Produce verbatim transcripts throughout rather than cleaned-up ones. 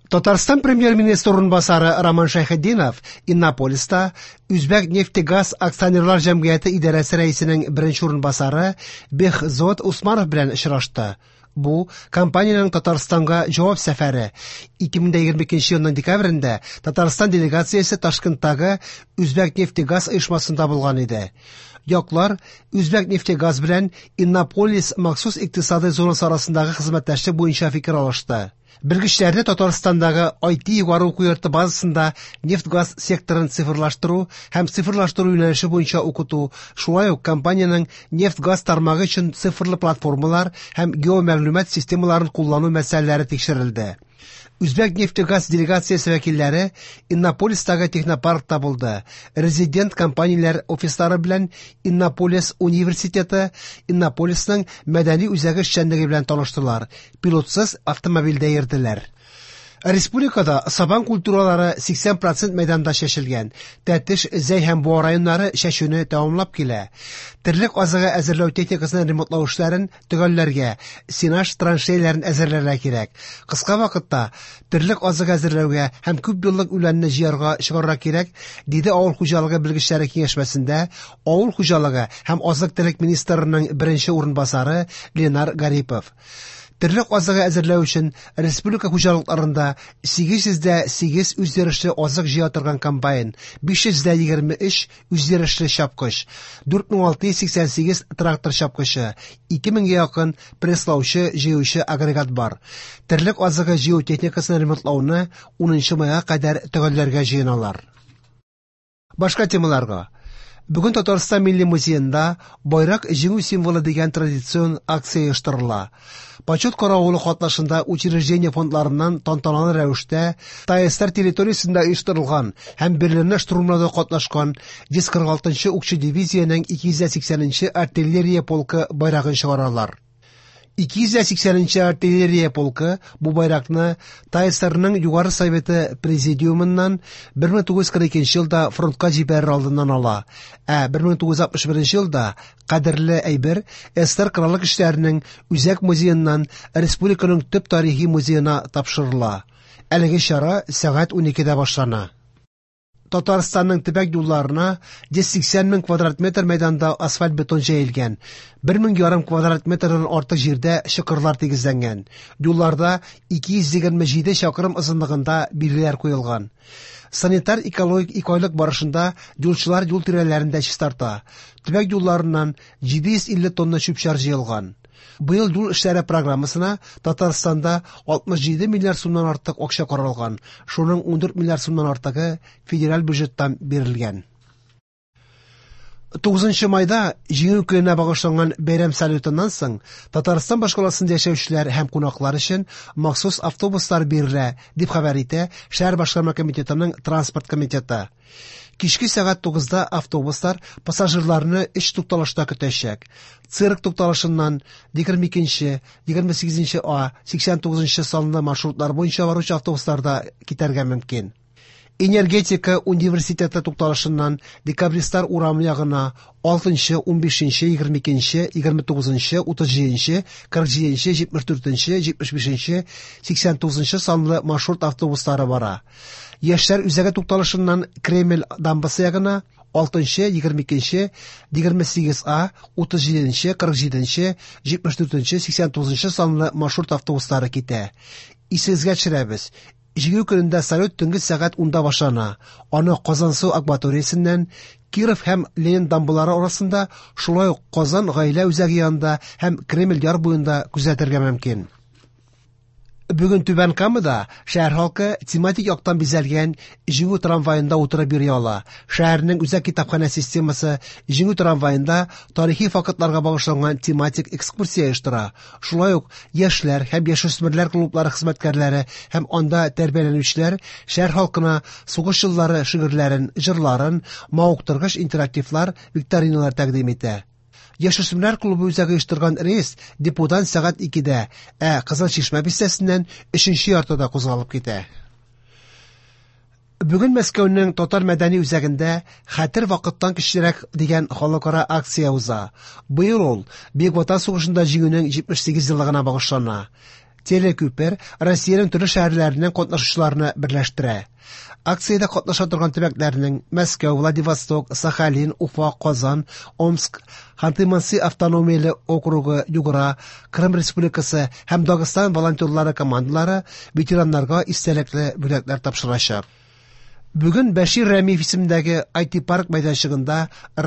Татарстан премьер-министры урынбасары Роман Шәйхетдинов Иннополиста Үзбәкнефтегаз акционерлар җәмгыяте идарәсе рәисенең беренче урынбасары Бехзод Усманов белән очрашты. Бу компаниянең Татарстанга җавап сәфәре. ике мең егерме икенче елның декабрендә Татарстан делегациясе Ташкенттагы Үзбәкнефтегаз оешмасында булган иде. Яклар Үзбәкнефтегаз белән Иннополис махсус икътисадый зонасы арасындагы хезмәттәшлек буенча фикер алышты. Белгечләрне Татарстандагы ай ти югары уку йорты базасында нефть-газ секторын цифрлаштыру һәм цифрлаштыру юнәлеше буенча укыту, шулай ук компаниянең нефть-газ тармагы өчен цифрлы платформалар һәм геомәгълүмат системаларын куллану мәсьәләләре тикшерелде. Үзбәкнефтегаз делегациясе вәкилләре Иннополистагы технопаркта булды. Резидент компанияләр офислары белән Иннополис университеты, Иннополисның мәдәни үзәге эшчәнлеге белән таныштылар. Пилотсыз автомобильдә йөрделәр. Республикада сабан культуралары сиксән процент мәйданда чәчелгән. Тәтеш, Зәй һәм Буа районнары чәчүне тәмамлап килә. Терлек азыгы әзерләү техникасын ремонтлау эшләрен төгәлләргә, сенаж траншеяләрен әзерләргә кирәк. Кыска вакытта терлек азыгы әзерләүгә һәм күп еллык үләнне җыярга чыгарырга кирәк, диде авыл хуҗалыгы белгечләре киңәшмәсендә авыл хуҗалыгы һәм азык-төлек министрының беренче урынбасары Ленар Гарипов. Терлек азыгы әзерләү өчен республика хуҗалыкларында сигез йөз дә сигез үзйөрешле азык җыя торган комбайн, биш йөз дә егерме өч үзйөрешле чапкыч, дүрт мең алты йөз сиксән сигез трактор чапкычы, ике меңгә якын пресслаучы җыючы агрегат бар. Терлек азыгы җыю техникасын ремонтлауны унынчы майга кадәр төгәлләргә җыеналар. Башка темаларга. Бүген Татарстан Милли музеенда Байрак җиңү символы дигән традицион акция оештырыла. Почет каравылы катнашында учреждение фондларыннан тантаналы рәвештә ТАССР территориясендә оештырылган һәм Берлинны штурмлауда катнашкан йөз кырык алтынчы укчы дивизиянең ике йөз сиксәненче артиллерия полкы байрагын чыгаралар. Ике йөз сиксәненче артиллерия полкы бу байракны ТАССРның Югары Советы президиумыннан бер мең тугыз йөз кырык икенче елда фронтка җибәрер алдыннан ала. Ә бер мең тугыз йөз алтмыш беренче елда кадерле әйбер СССР Кораллы Көчләренең Үзәк музееннан Республиканың төп тарихи музеена тапшырыла. Әлеге чара сәгать уникедә башлана. Татарстанның төбәк юлларына йөз сиксән мең квадрат метр мәйданда асфальт бетон җәелгән, бер мең ярым квадрат метрдан артык җирдә чокырлар тигезләнгән. Юлларда ике йөз егерме җиде чакрым озынлыгында билгеләр куелган. Санитар экологик икайлык барышында юлчылар юл тирәләрен дә чистарта. Төбәк юлларыннан җиде йөз илле тонна чүп-чар җыелган. Быел юл эшләре программасына Татарстанда алтмыш җиде миллиард сумнан артык акча каралган. Шуның ундүрт миллиард сумнан артыгы федераль бюджеттан бирелгән. Тугызынчы майда Җиңү көненә багышланган бәйрәм салютыннан соң Татарстан башкаласында яшәүчеләр һәм кунаклар өчен махсус автобуслар бирелә, дип хәбәр итә шәһәр башкарма комитетының транспорт комитеты. Кичке сәгать тугызда автобуслар пассажирларны өч тукталышта көтәчәк. Цирк тукталышыннан егерме икенче, егерме сигезенче А, сиксән тугызынчы санлы маршрутлар буенча баручы автобусларда китәргә мөмкин. Энергетика университеты тукталышыннан Декабристлар урамы ягына алтынчы, унбишенче, егерме икенче, егерме тугызынчы, утыз җиденче, кырык җиденче, җитмеш дүртенче, җитмеш бишенче, сиксән тугызынчы санлы маршрут автобуслары бара. Яшьләр үзәге тукталышыннан Кремль дамбасы ягына алтынчы, егерме икенче, егерме сигез А, утыз җиденче, кырык җиденче, җитмеш дүртенче, сиксән тугызынчы санлы маршрут автобуслары китә. Исегезгә төшерәбез. Җиңү көнендә салют төнге сәгать унда башлана. Аны Казансу акваториясеннән Киров һәм Ленин дамбалары арасында, шулай ук Казан гаилә үзәге янында һәм Кремль яр буенда күзәтергә мөмкин. Бүген Түбән Камада шәһәр халкы тематик яктан бизәлгән Җиңү трамваенда утырып йөри ала. Шәһәрнең үзәк китапханә системасы Җиңү трамваенда тарихи фактларга багышланган тематик экскурсия оештыра. Шулай ук яшьләр һәм яшүсмерләр клублары хезмәткәрләре һәм анда тәрбияләнүчеләр шәһәр халкына сугыш еллары шигырьләрен, җырларын, мавыктыргыч интерактивлар, викториналар тәкъдим итә. Яшүсмерләр клубы үзәге оештырган рейс деподан сәгать икедә, ә Кызыл Чишмә бистәсеннән өченче яртыда кузгалып китә. Бүген Мәскәүнең Татар мәдәни үзәгендә Хәтер вакыттан көчлерәк дигән халыкара акция уза. Быел ул Бөек Ватан сугышында җиңүнең җитмеш сигез еллыгына багышлана. Телекүпер Россиянең төрле шәһәрләреннән катнашучыларны берләштерә. Акциядә катнаша торган төбәкләрнең Мәскәү, Владивосток, Сахалин, Уфа, Казан, Омск, Ханты-Манси автономияле округы, Югра, Крым Республикасы һәм Дагыстан волонтерлары командалары ветераннарга истәлекле бүләкләр тапшырачак. Бүген Бәшир Рәмиев исемендәге ай ти-парк мәйданчыгында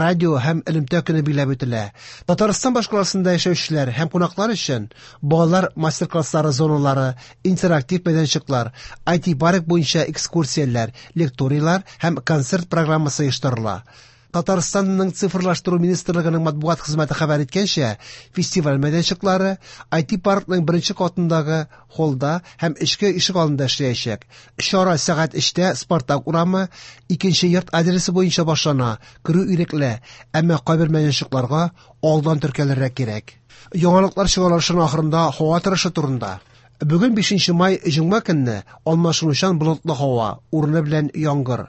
радио һәм элемтә көне билгеләп үтелә. Татарстан башкаласында яшәүчеләр һәм кунаклар өчен балалар мастер-класслары зоналары, интерактив мәйданчыклар, ай ти-парк буенча экскурсияләр, лекторийлар һәм концерт программасы оештырыла. Татарстанның цифрлаштыру министрлыгының матбугат хезмәте хәбәр иткәнчә, фестиваль мәйданчыклары ай ти-паркның беренче катындагы холда һәм эчке ишек алдында эшләячәк. Чара сәгать өчтә Спартак урамы икенче йорт адресы буенча башлана, керү ирекле, әмма кайбер мәйданчыкларга алдан теркәлергә кирәк. Яңалыклар чыгарылышының ахырында һава торышы турында. Бүген бишенче май җомга көнне алмашынучан болытлы һава, урыны белән яңгыр.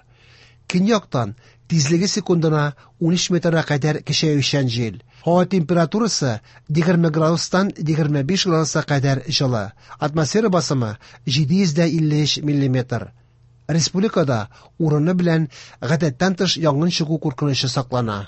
Көньяктан тизлеге секундына ун өч метрга кадәр көчәючән җил. Һава температурасы егерме градустан егерме биш градуска кадәр җылы. Атмосфера басымы җиде йөз дә илле өч миллиметр. Республикада урыны белән гадәттән тыш янгын чыгу куркынычы саклана.